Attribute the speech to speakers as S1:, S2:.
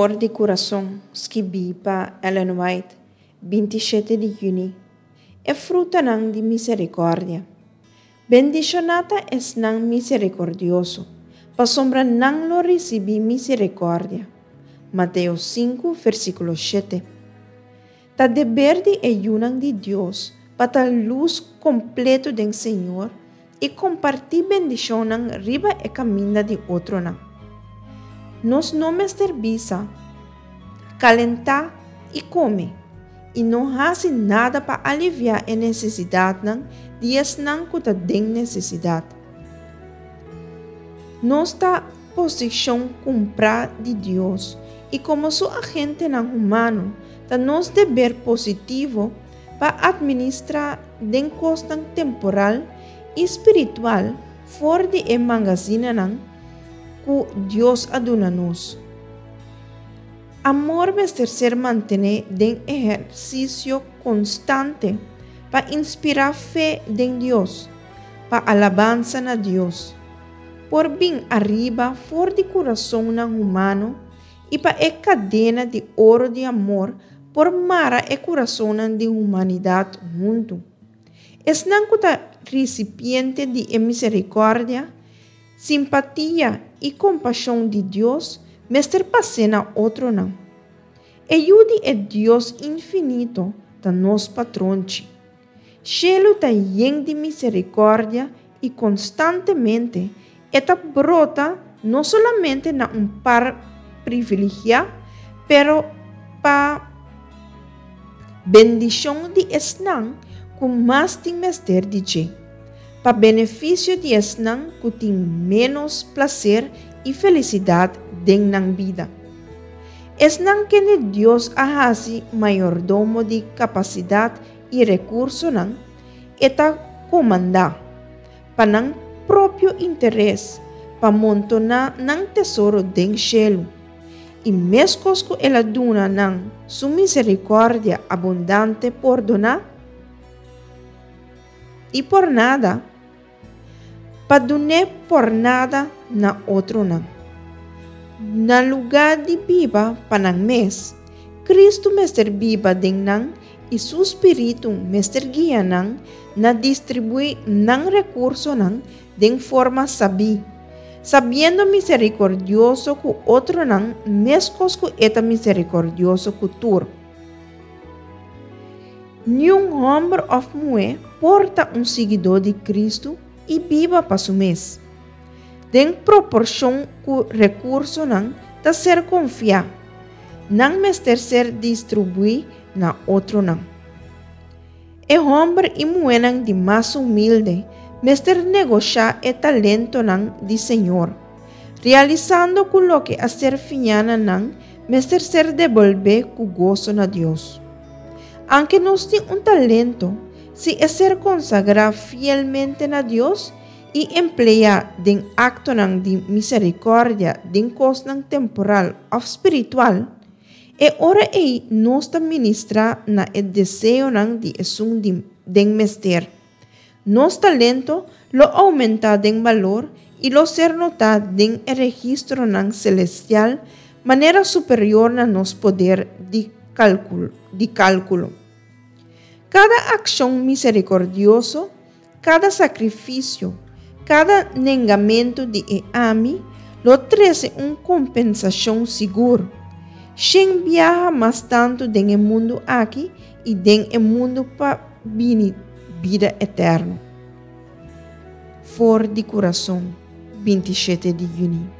S1: For di Kurason, skibí pa Ellen White, 27 di yüni. E frutanan di miserikòrdia. Bendishoná ta esnan miserikòrdioso, pasobra nan lo risibí miserikòrdia. Mateo 5, versíkulo 7. Ta deber di e yunan di Dios pa ta lus kompleto den Señor i kompartí bendishonnan riba e kaminda di otronan. Nos no mester bisa, Kalentá i kome, i no hasi nada pa aliviá e nesesidatnan di esnan ku ta den nesesidat. Nos ta posishon kumprá di Dios i komo su agentenan humano ta nos deber positivo pa atministrá den kosnan temporal i spiritual for di e magazinanan ku Dios a duna nos. Amor mester ser mantené den ehersisio konstante pa inspirá fe den Dios, pa alabansa na Dios por bin ariba for di kurasonnan humano i pa e kadena di oro di amor por mara e kurasonnan di humanidat huntu. Esnan ku ta risipiente di e miserikòrdia, simpatia i kompashon di Dios mester pas'é na otronan. E Yu di e Dios infinito ta nos patronchi. Shelu ta yen di miserikòrdia i konstantemente e ta brota no solamente na un par privilegiá, pero pa bendishon di esnan ku mas tin mester di dje, pa benefisio di esnan ku tin ménos plaser i felisidat den nan bida. Esnan kende Dios a hasi mayordomo di kapasidat i rekursonan, e ta komandá, pa nan propio interes, pa montoná nan tesoro den shelu. I meskos ku el a duna nan su miserikòrdia abundante pordoná i por nada, pa dun'é por nada na otronan. Na lugá di biba pa nan mes, Kristu mester biba den nan i su spiritu mester guia nan na distribuí nan rekursonan den forma sabí, sabiendo miserikordioso ku otronan meskos ku e ta miserikordioso ku tur. Niun hòmber òf muhé por ta un siguidó di Kristu i biba pa su mes. Den proporshon ku rekursonan ta ser konfiá, nan mester ser distribuí na otronan. E hòmber i muhénan di mas humilde mester negoshá e talentonan di Señor, realisando ku loke a ser fiñá na nan mester ser debolbé ku goso na Dios. Anke nos tin un talento, si e ser konsagrá fielmente na Dios i empleá den aktonan di miserikòrdia den kosnan temporal òf spiritual, e ora ei nos ta ministrá na e deseonan di esun di den mester. Nos talento lo oumentá den balor i lo ser notá den e registronan selestial manera superior na nos poder di di kálkulo. Kada akshon miserikòrdioso, kada sakrifisio, kada nengamentu di e ami lo trese un kompensashon sigur, shen biaha mas tantu den e mundu aki i den e mundu pa bini bida eterno. For di kurason, 27 di yüni.